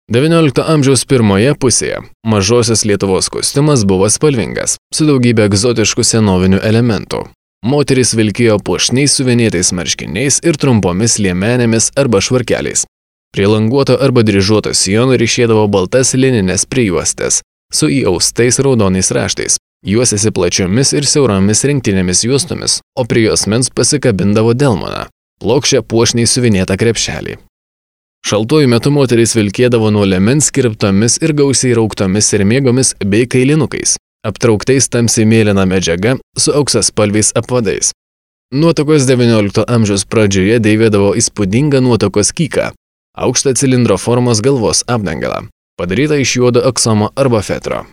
XIX amžiaus pirmoje pusėje mažosios Lietuvos kostiumas buvo spalvingas, su daugybė egzotiškų senovinių elementų. Moterys vilkėjo puošniais suvinėtais marškiniais ir trumpomis liemenėmis arba švarkeliais. Prie languoto arba dryžuoto sijono ryšėdavo baltas lininės prijuostės su įaustais raudonais raštais. Juosėsi plačiomis ir siauromis rinktinėmis juostomis, o prie juosmens pasikabindavo delmoną, plokščią puošniai suvinėtą krepšelį. Šaltuoju metu moterys vilkėdavo nuo liemens kirptomis ir gausiai rauktomis sermėgomis bei kailinukais, aptrauktais tamsiai mėlyna medžiaga su auksaspalviais apvadais. Nuotakos XIX amžiaus pradžioje dėvėdavo įspūdingą nuotakos kyką, aukštą cilindro formos galvos apdangalą, padarytą iš juodo aksomo arba fetro.